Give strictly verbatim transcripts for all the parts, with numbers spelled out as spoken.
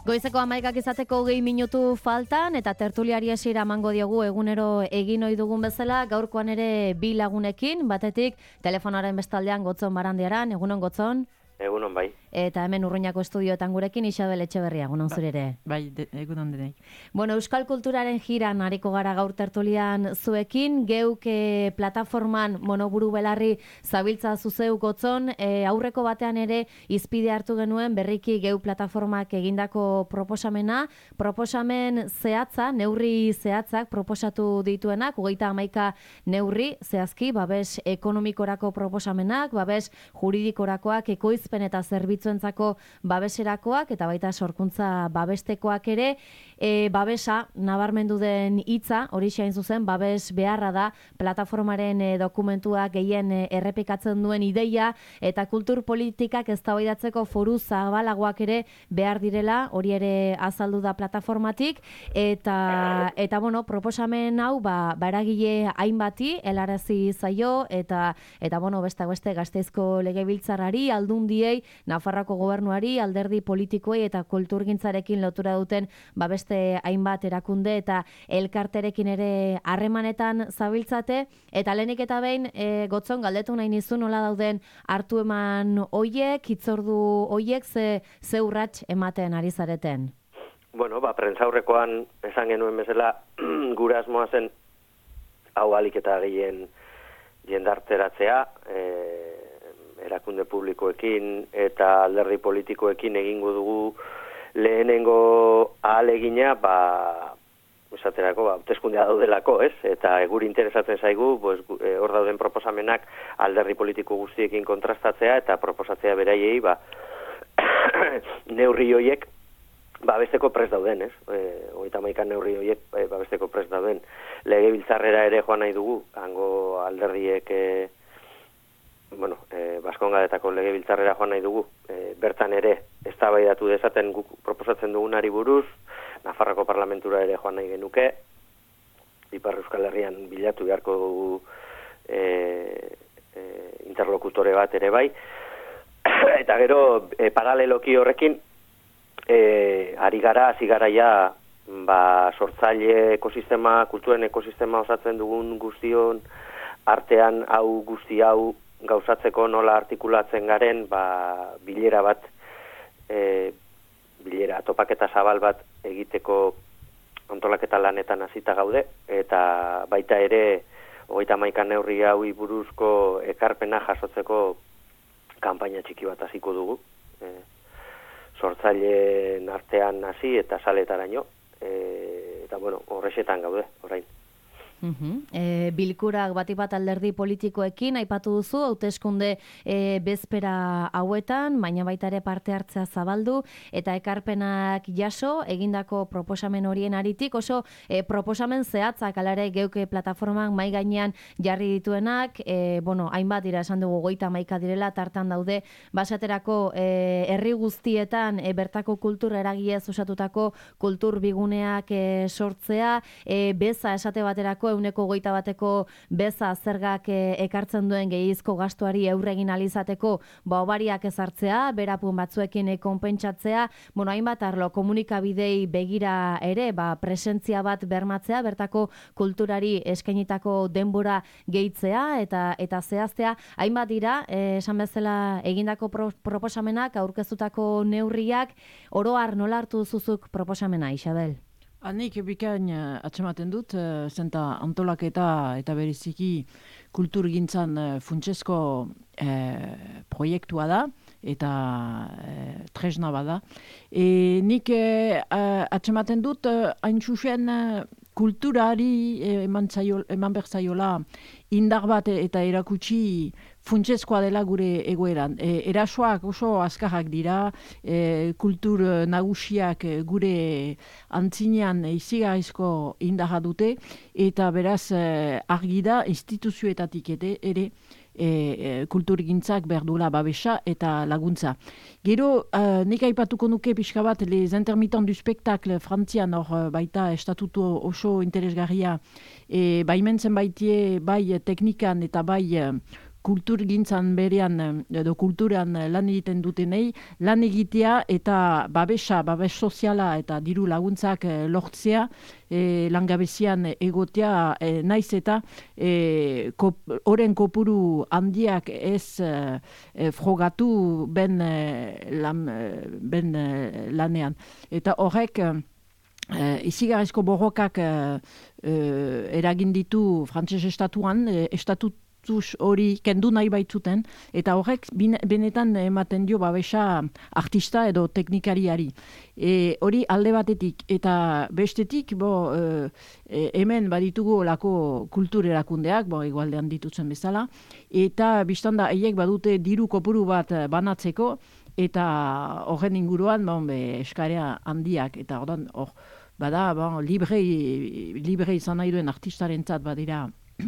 Goizeko hamaikak izateko gehi minutu faltan eta tertuliari hasiera emango diogu egunero egin ohi dugun bezala, gaurkoan ere bi lagunekin, batetik telefonaren bestaldean Gotzon Barandiaran, egunon Gotzon. Egunon bai. Eta hemen Urruñako estudioetan gurekin Isabel Etxeberria, egunon zure ere. Bai, de, egunon denei. Bueno, Euskal Kulturaren jiran hariko gara gaur tertulian zuekin, geuk e, plataforman monoburu belarri zabiltza zuzeu Gotzon, e, aurreko batean ere izpide hartu genuen berriki geu plataformak egindako proposamena, proposamen zehatza, neurri zehatzak proposatu dituenak, hogeita hamaika neurri zehazki, babes ekonomikorako proposamenak, babes juridikorakoak, ekoizpen eta zerbitzuentzako babeserakoak eta baita sorkuntza babestekoak ere, e, babesa nabarmendu den hitza, hori hain zuzen, babes beharra da plataformaren e, dokumentuak gehien e, errepikatzen duen ideia eta kultur politikak eztabaidatzeko foru zabalagoak ere behar direla, hori ere azaldu da plataformatik eta eta bueno, proposamen hau ba baragile hainbati helarazi zaio eta eta bueno, beste beste Gasteizko legebiltzarrari, aldundiei, Nafarroako gobernuari, alderdi politikoei eta kulturgintzarekin lotura duten babeste hainbat erakunde eta elkarterekin ere harremanetan zabiltzate, eta lehenik eta behin e, Gotzon galdetu nahi nizu nola dauden hartu eman hoiek, hitzordu hoiek ze, ze urrats ematen ari zareten? Bueno, ba, prentzaurrekoan esan genuen bezala gure asmoa zen hau alik eta gehien jendarteratzea, e, erakunde publikoekin eta alderdi politikoekin egingo dugu lehenengo ahalegina, ba, esaterako, ba, hauteskundea daudelako, ez? Eta guri interesatzen zaigu, pues, e, hor dauden proposamenak alderdi politiko guztiekin kontrastatzea eta proposatzea beraiei, ba, neurri hoiek babesteko prest dauden, ez? E, hogeita hamaika neurri hoiek e, babesteko prest dauden. Legebiltzarrera ere joan nahi dugu, hango alderdiek e, bueno, e, Baskongadetako legebiltzarrera joan nahi dugu, e, bertan ere eztabaidatu dezaten guk proposatzen dugunari buruz, Nafarroko parlamentura ere joan nahi genuke, Ipar Euskal Herrian bilatu beharko dugu e, e, interlokutore bat ere bai, eta gero e, paraleloki horrekin, e, ari gara, hasi gara ja, ba, sortzaile ekosistema, kulturen ekosistema osatzen dugun guztion artean hau guzti hau gauzatzeko nola artikulatzen garen, ba, bilera bat, e, bilera topaketa zabal bat egiteko antolaketa lanetan hasita gaude, eta baita ere hogeita hamaika neurri haui buruzko ekarpena jasotzeko kanpaina txiki bat hasiko dugu. E, sortzaileen artean hasi eta saletaraino, e, eta bueno, horrexetan gaude, orain. Uh-huh. E, bilkurak bati bat alderdi politikoekin aipatu duzu, hauteskunde e, bezpera hauetan, baina baita ere parte hartzea zabaldu eta ekarpenak jaso egindako proposamen horien aritik, oso e, proposamen zehatzak alare geuke plataformak mai gainean jarri dituenak, e, bueno, hainbat dira esan dugu goita hamaika direla, tartan daude basaterako e, herri guztietan e, bertako kultur eragiez osatutako kultur biguneak e, sortzea, e, beza esate baterako euneko goita bateko beza zergak e, ekartzen duen gehizko gastuari aurre egin alizateko ba obariak ezartzea, berapun batzuekin e, konpentsatzea, bueno, hainbat arlo komunikabidei begira ere, ba, presentzia bat bermatzea, bertako kulturari eskainitako denbora gehitzea eta eta zehaztea, hainbat dira, e, esan bezala egindako pro, proposamenak, aurkeztutako neurriak, oro har nola hartu zuzuk proposamena, Isabel? Hanik bikain uh, atzematen dut, uh, zenta antolaketa eta bereziki kulturgintzan uh, funtsezko uh, proiektua da, eta uh, tresna bada. E, nik uh, atzematen dut, uh, hain zuzen uh, kulturari eman, zaio, eman berzaiola indar bat eta erakutsi funtsezkoa dela gure egoeran. E, erasoak oso azkarrak dira, e, kultur nagusiak gure antzinean izigarrizko indarra dute, eta beraz e, argi da instituzioetatik ere, ere E, e, kulturgintzak behar duela babesa eta laguntza. Gero, uh, nik aipatuko nuke pixka bat les intermittents du spectacle Frantzian hor uh, baita estatutu oso interesgarria e, baimentzen baitie bai teknikan eta bai uh, kulturgintzan berean edo kulturan lan egiten dutenei lan egitea eta babesa, babes soziala eta diru laguntzak lortzea e, langabezian egotea e, naiz eta e, kop, oren kopuru handiak ez e, frogatu ben, e, lan, ben e, lanean. Eta horrek Uh, izigarrizko borrokak uh, uh, eragin ditu frantses estatuan, uh, estatutuz hori kendu nahi baitzuten, eta horrek bine, benetan ematen dio babesa artista edo teknikariari. E, hori alde batetik, eta bestetik, bo, uh, hemen baditugu olako kultur erakundeak, bo, igualdean ditutzen bezala, eta biztanda haiek badute diru kopuru bat banatzeko, eta horren inguruan bon, be, eskarea handiak, eta ordan hor, bada, bon, libre, libre izan nahi duen artistarentzat badira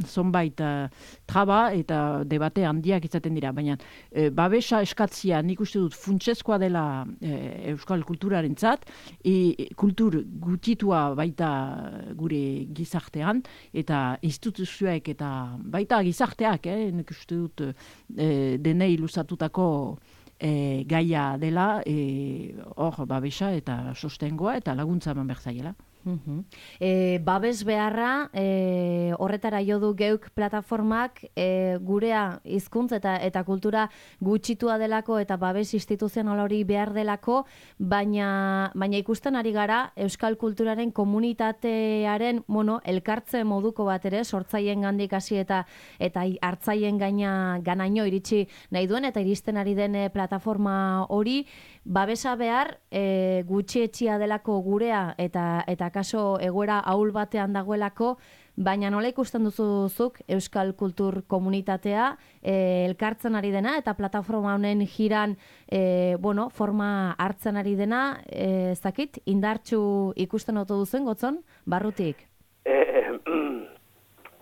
zonbait uh, traba eta debate handiak izaten dira, baina e, babesa eskatzia nik uste dut funtsezkoa dela e, euskal kulturarentzat, e, kultur gutitua baita gure gizartean, eta instituzioek eta baita gizarteak, eh, nik uste dut e, denei luzatutako E, gaia dela hor e, babesa eta sostengoa eta laguntza eman behar zaiela. Uh-huh. E, babes beharra e, horretara jo du geuk plataformak e, gurea hizkuntz eta eta kultura gutxitua delako eta babes instituzional hori behar delako, baina baina ikusten ari gara euskal kulturaren komunitatearen bueno, elkartze moduko bat ere sortzaileen gandik hasi eta eta hartzaien gaina ganaino iritsi nahi duen eta iristen ari den plataforma hori babesa behar e, gutxietxia delako gurea eta eta kaso egoera ahul batean dagoelako, baina nola ikusten duzuzuk euskal kultur komunitatea e, elkartzen ari dena eta plataforma honen jiran e, bueno, forma hartzen ari dena, e, ez dakit, indartsu ikusten oto duzen, Gotzon, barrutik? E,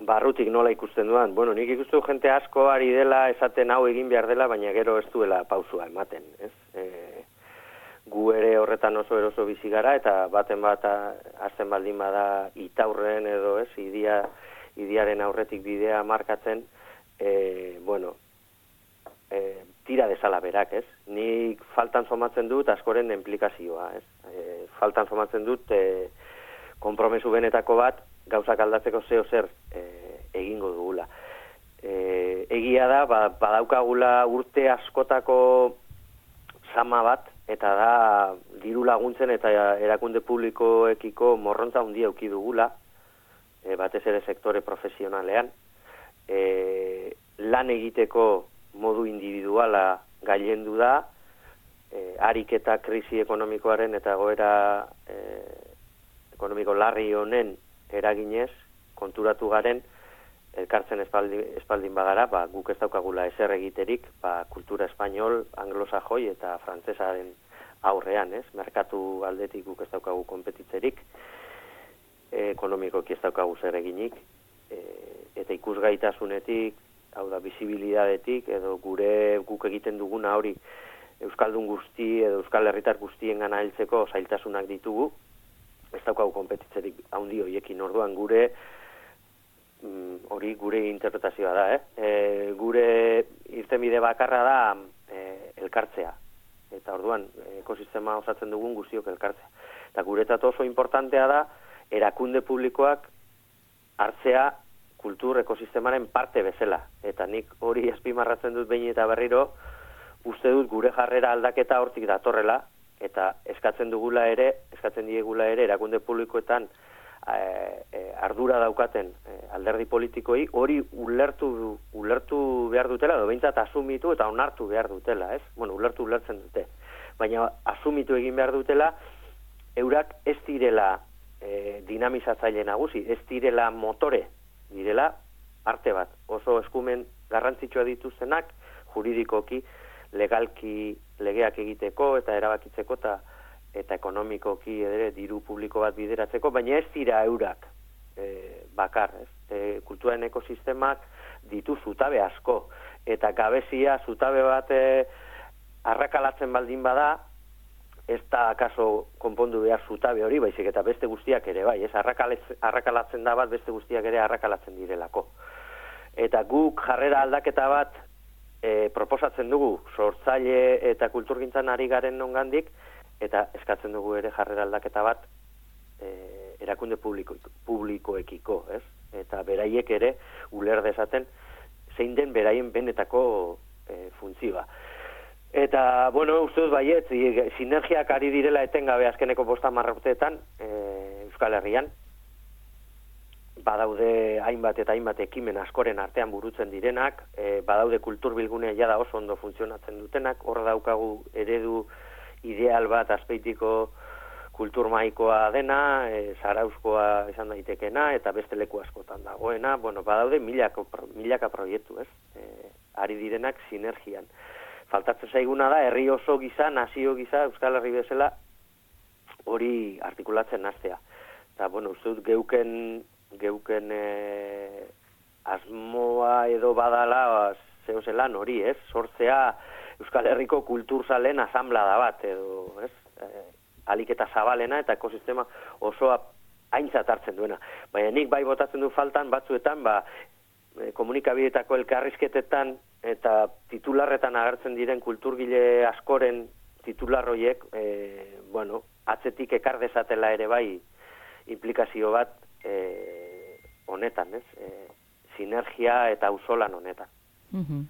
barrutik nola ikusten duan? Bueno, nik ikustu jente asko ari dela esaten hau egin behar dela, baina gero ez duela pausua ematen, ez? E, gu ere horretan oso eroso bizi gara eta baten bat hasten baldin bada itaurren edo ez idia, idiaren aurretik bidea markatzen, e, bueno, e, tira desala berak, ez? Nik faltan somatzen dut askoren implikazioa, ez? E, faltan somatzen dut e, konpromesu benetako bat gauzak aldatzeko zeo zer e, egingo dugula. E, egia da, ba, badaukagula urte askotako sama bat, eta da diru laguntzen eta erakunde publikoekiko morrontza handia eduki dugula, e, batez ere sektore profesionalean, e, lan egiteko modu individuala gailendu da, e, ariketa krisi ekonomikoaren eta goera e, ekonomiko larri honen eraginez, konturatu garen, elkartzen espaldi, espaldin bagara, ba, guk ez daukagula ezer egiterik, ba, kultura espainol, anglosajoi eta frantsesaren aurrean, ez? Merkatu aldetik guk ez daukagu konpetitzerik, e, ekonomikoki ez daukagu zer eginik, e, eta ikusgaitasunetik, hau da, bizibilidadetik, edo gure guk egiten duguna hori euskaldun guzti edo euskal herritar guztien gana heltzeko zailtasunak ditugu, ez daukagu konpetitzerik handi horiekin, orduan gure hori gure interpretazioa da, eh? E, gure irtenbide bakarra da e, elkartzea. Eta orduan, ekosistema osatzen dugun guztiok elkartzea. Eta guretzat oso importantea da, erakunde publikoak hartzea kultur ekosistemaren parte bezala. Eta nik hori azpimarratzen dut behin eta berriro, uste dut gure jarrera aldaketa hortik datorrela, eta eskatzen dugula ere, eskatzen diegula ere, erakunde publikoetan E, e, ardura daukaten e, alderdi politikoi hori ulertu ulertu behar dutela, edo behintzat asumitu eta onartu behar dutela, ez? Bueno, ulertu ulertzen dute. Baina asumitu egin behar dutela, eurak ez direla e, dinamizatzaile nagusi, ez direla motore, direla arte bat. Oso eskumen garrantzitsua dituztenak, juridikoki, legalki legeak egiteko eta erabakitzeko eta eta ekonomikoki ere diru publiko bat bideratzeko, baina ez dira eurak e, bakar, ez? E, kulturaren ekosistemak ditu zutabe asko, eta gabezia zutabe bat e, arrakalatzen baldin bada, ez da akaso konpondu behar zutabe hori, baizik eta beste guztiak ere bai, ez? Arrakalatzen da bat beste guztiak ere arrakalatzen direlako. Eta guk jarrera aldaketa bat e, proposatzen dugu sortzaile eta kulturgintzan ari garen nongandik, eta eskatzen dugu ere jarrera aldaketa bat e, erakunde publiko, publikoekiko, ez? Eta beraiek ere uler dezaten zein den beraien benetako e, funtzioa. Eta, bueno, uste dut baiet, sinergiak ari direla etengabe azkeneko bosta marrauteetan e, Euskal Herrian, badaude hainbat eta hainbat ekimen askoren artean burutzen direnak, e, badaude kulturbilgune jada oso ondo funtzionatzen dutenak, hor daukagu eredu ideal bat azpeitiko kulturmaikoa dena, e, zarauzkoa esan daitekena, eta beste leku askotan dagoena, bueno, badaude milaka, milaka proiektu, ez? E, ari direnak sinergian. Faltatzen zaiguna da, herri oso giza, nazio giza, Euskal Herri bezala, hori artikulatzen hastea. Eta, bueno, uste dut geuken, geuken e, asmoa edo badala zeo zelan hori, ez? Sortzea Euskal Herriko kulturzalen asamblada bat, edo, ez? E, alik eta zabalena eta ekosistema osoa aintzat hartzen duena. Baina nik bai botatzen du faltan batzuetan, ba, komunikabideetako elkarrizketetan eta titularretan agertzen diren kulturgile askoren titularroiek, e, bueno, atzetik ekar dezatela ere bai implikazio bat e, honetan, ez? E, sinergia eta auzolan honetan. Mhm.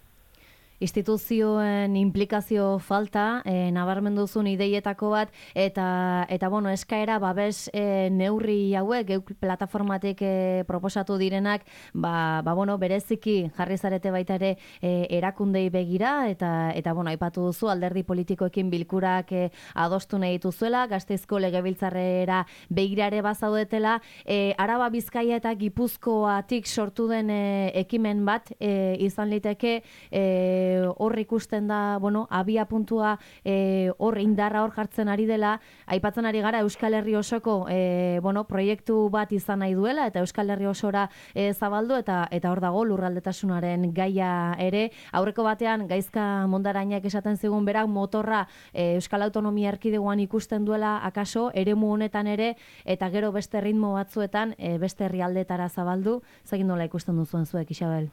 Instituzioen implikazio falta, e, nabarmendu duzun ideietako bat, eta, eta bueno, eskaera babes e, neurri hauek, geuk plataformatik e, proposatu direnak, ba, ba, bueno, bereziki jarri zarete baita ere e, erakundei begira, eta, eta bueno, aipatu duzu alderdi politikoekin bilkurak e, adostu nahi dituzuela, Gasteizko legebiltzarrera begirare bazaudetela, e, Araba, Bizkaia eta Gipuzkoatik sortu den e, ekimen bat e, izan liteke, e, hor ikusten da, bueno, abia puntua e, hor indarra hor jartzen ari dela, aipatzen ari gara Euskal Herri osoko e, bueno, proiektu bat izan nahi duela, eta Euskal Herri osora e, zabaldu, eta eta hor dago lurraldetasunaren gaia ere. Aurreko batean, Gaizka Mondarainak esaten zigun berak motorra e, Euskal Autonomia Erkidegoan ikusten duela akaso, eremu honetan ere, eta gero beste ritmo batzuetan e, beste herrialdetara zabaldu. Zagin nola ikusten duzuen zuek, Isabel?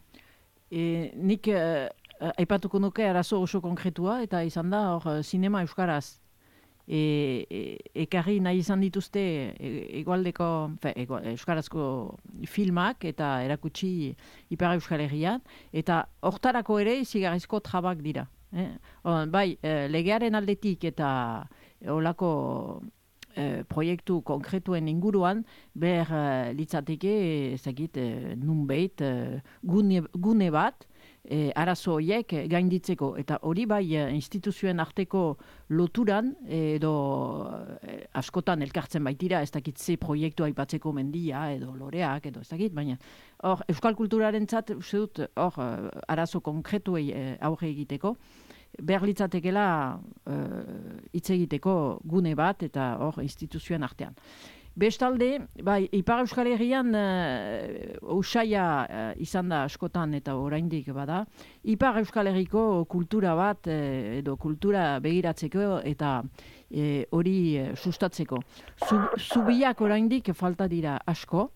E, nik... E... Aipatuko nuke arazo oso konkretua, eta izan da, hor, sinema euskaraz. E, e, ekarri nahi izan dituzte egualdeko, fe, egual, euskarazko filmak eta erakutsi Ipar Euskal Herrian, eta hortarako ere izigarrizko trabak dira. Eh? O, bai, legearen aldetik eta olako e, proiektu konkretuen inguruan, ber e, litzateke, ezagit, e, nunbait, e, gune, gune bat, E, arazo horiek gainditzeko, eta hori bai instituzioen arteko loturan edo e, askotan elkartzen baitira, ez dakit ze proiektu aipatzeko mendia edo loreak edo ez dakit, baina hor euskal kulturaren zat, uste dut, hor arazo konkretuei e, aurre egiteko, behar litzatekela hitz e, egiteko gune bat eta hor instituzioen artean. Bestalde, bai, Ipar Euskal Herrian uh, usaia uh, izan da askotan eta oraindik bada, Ipar Euskal Herriko kultura bat uh, edo kultura begiratzeko eta hori uh, sustatzeko. Zubiak oraindik falta dira asko.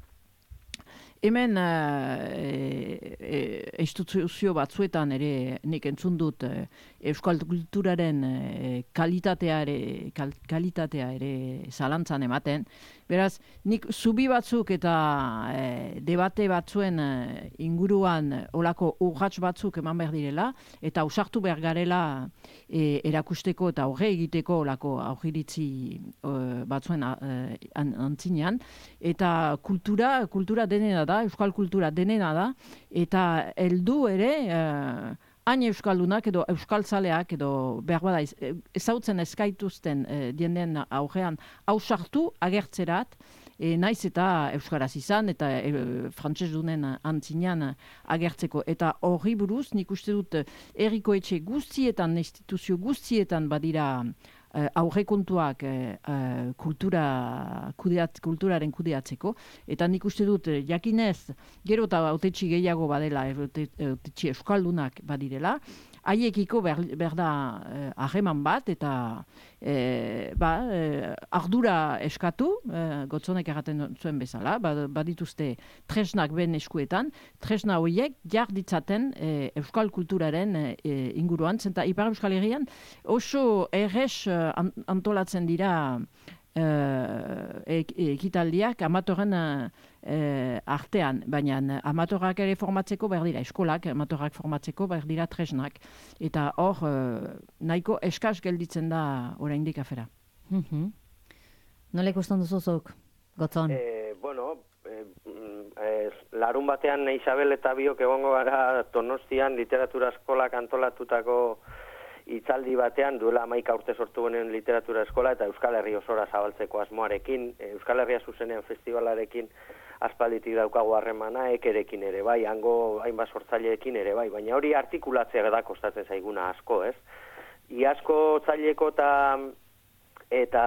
Hemen uh, e, e, instituzio batzuetan ere nik entzun dut e, euskal kulturaren e, kalitatea ere, kal, kalitatea ere zalantzan ematen. Beraz, nik zubi batzuk eta e, debate batzuen e, inguruan olako urrats batzuk eman behar direla, eta ausartu behar garela e, erakusteko eta aurre egiteko olako aurriritzi e, batzuen e, antzinean. Eta kultura, kultura denena da, euskal kultura denena da, eta heldu ere, eh, hain euskaldunak edo euskaltzaleak edo behar bada ezautzen eskaituzten eh, dienden aurrean hausartu agertzerat, eh, naiz eta euskaraz izan eta eh, frantsesdunen antzinean agertzeko. Eta horri buruz, nik uste dut herriko etxe guztietan, instituzio guztietan badira Uh, aurrekontuak uh, uh, kultura, kudeat, kulturaren kudeatzeko, eta nik uste dut jakinez, gero eta autetxi gehiago badela, autetxi euskaldunak badirela, haiekiko ber, berda harreman bat, eta e, ba, e, ardura eskatu, e, Gotzonek erraten zuen bezala, badituzte tresnak ben eskuetan, tresna horiek jar ditzaten e, euskal kulturaren e, inguruan, zenta Ipar Euskal Herrian oso errez antolatzen dira ekitaldiak amatoren artean, baina amatorak ere formatzeko behar dira, eskolak amatorak formatzeko behar dira tresnak, eta hor nahiko eskaz gelditzen da oraindik afera. Mm-hmm. Nola ikusten duzuzuk, Gotzon? Eh, bueno, eh, eh, larun batean Isabel eta biok egongo gara Donostian literatura eskolak antolatutako hitzaldi batean, duela hamaika urte sortu genen literatura eskola eta Euskal Herri osora zabaltzeko asmoarekin, Euskal Herria zuzenean festivalarekin aspalditik daukagu harremana, ekerekin ere bai, hango hainbat sortzaileekin ere bai, baina hori artikulatzea da kostatzen zaiguna asko, ez? Iazko otsaileko eta eta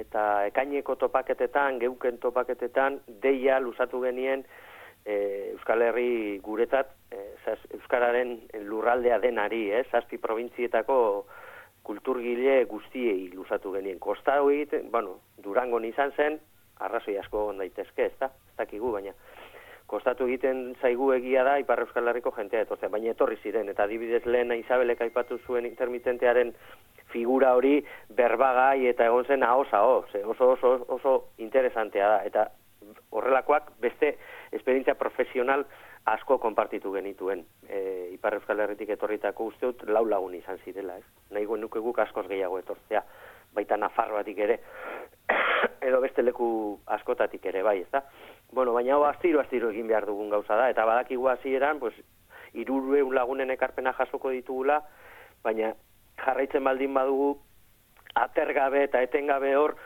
eta ekaineko topaketetan, geuken topaketetan, deia luzatu genien E, Euskal Herri guretzat e, zaz, Euskararen lurraldea denari, eh? Zazpi probintzietako kulturgile guztiei luzatu genien. Kostau egiten, bueno, Durangon izan zen, arrazoi asko egon daitezke, ez da? Ez dakigu, baina kostatu egiten zaigu egia da Ipar Euskal Herriko jentea etortzea, baina etorri ziren, eta adibidez lehen Isabelek aipatu zuen intermitentearen figura hori berbagai eta egon zen ahoz-ahoz, oso, oso, oso interesantea da, eta horrelakoak beste esperientzia profesional asko konpartitu genituen. E, Ipar Euskal Herritik etorritako usteut lau lagun izan zirela, ez? Nahigo nuke guk askoz gehiago etortzea, baita Nafarroatik ere, edo beste leku askotatik ere, bai, ez da? Bueno, baina hau astiro-astiro egin behar dugun gauza da, eta badakigu hasieran, pues, hirurehun lagunen ekarpena jasoko ditugula, baina jarraitzen baldin badugu, atergabe eta etengabe hor,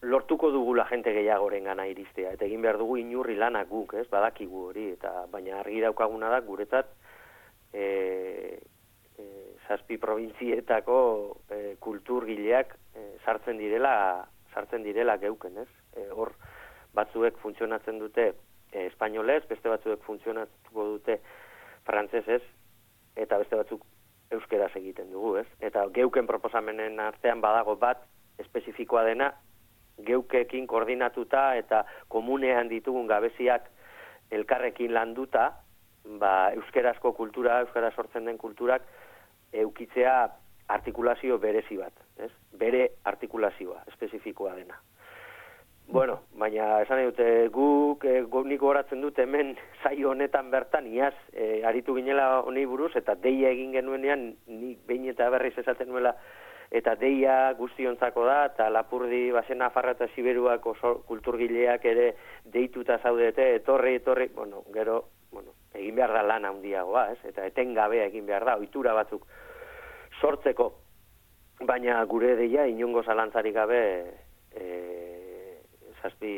lortuko dugula jente gehiagoren gana iristea, eta egin behar dugu inurri lanak guk, ez, badakigu hori, eta baina argi daukaguna da, guretzat, e, e, zazpi probintzietako e, kulturgileak e, sartzen direla, sartzen direla geuken, ez, e, hor batzuek funtzionatzen dute e, espainolez, beste batzuek funtzionatuko dute frantsesez, eta beste batzuk euskeraz egiten dugu, ez, eta geuken proposamenen artean badago bat espezifikoa dena, geukekin koordinatuta eta komunean ditugun gabeziak elkarrekin landuta, ba, euskerazko kultura, euskara sortzen den kulturak eukitzea artikulazio berezi bat, ez? Bere artikulazioa, espezifikoa dena. Bueno, baina esan dute guk, e, nik goratzen dut hemen saio honetan bertan, iaz, e, aritu ginela honi buruz, eta deia egin genuenean, nik behin eta berriz esaten nuela, eta deia guztiontzako da, eta Lapurdi, Basen Nafarra eta Siberuak oso kulturgileak ere deituta zaudete, etorri, etorri, bueno, gero, bueno, egin behar da lan handiagoa, ez? Eta etengabea egin behar da, ohitura batzuk sortzeko, baina gure deia inongo zalantzarik gabe e, zazpi,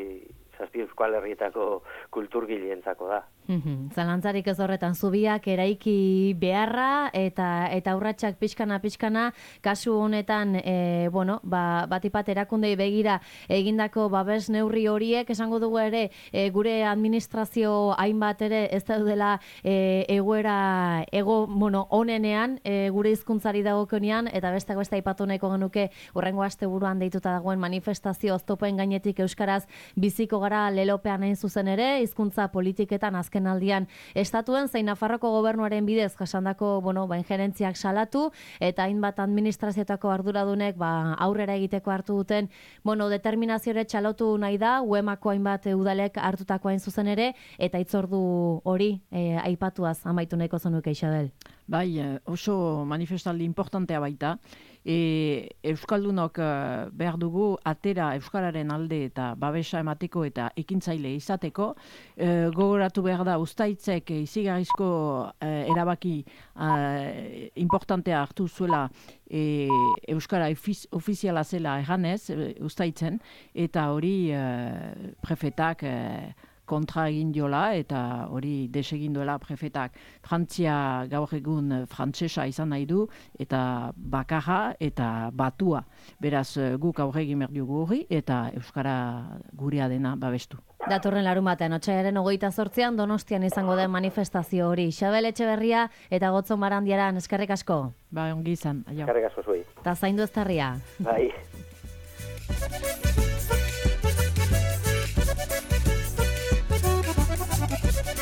zazpi Euskal Herrietako kulturgileentzako da. Mm-hmm. Zalantzarik ez horretan, zubiak eraiki beharra eta eta urratsak pixkana pixkana kasu honetan e, bueno, ba, batipat erakundei begira egindako babes neurri horiek esango dugu ere e, gure administrazio hainbat ere ez daudela e, egoera ego bueno, onenean e, gure hizkuntzari dagokionean eta besteak beste aipatu nahiko genuke hurrengo asteburuan deituta dagoen manifestazio oztopoen gainetik euskaraz biziko gara lelopean hain zuzen ere hizkuntza politiketan azken aldian estatuen zein Nafarroko gobernuaren bidez jasandako bueno, ba, injerentziak salatu eta hainbat administrazioetako arduradunek ba, aurrera egiteko hartu duten bueno, determinaziore txalotu nahi da uemako hainbat udalek hartutako hain zuzen ere eta hitzordu hori e, aipatuaz amaitu nahiko zenuke Isabel. Bai, oso manifestaldi importantea baita. E, Euskaldunok behar dugu atera Euskararen alde eta babesa emateko eta ekintzaile izateko. E, gogoratu behar da Uztaitzek izigarrizko e, erabaki e, importantea hartu zuela e, Euskara ofiz, ofiziala zela erranez e, Uztaitzen eta hori e, prefetak e, kontra egin diola eta hori desegin duela prefetak. Frantzia gaur egun frantsesa izan nahi du eta bakarra eta batua. Beraz guk aurre egin behar dugu hori eta Euskara gurea dena babestu. Datorren larun batean, otsailaren hogeita zortzian Donostian izango den manifestazio hori. Xabel Etxeberria eta Gotzon Barandiaran, eskerrik asko. Ba, ongi izan. Eskerrik asko zuei. Ta zaindu eztarria. Bai.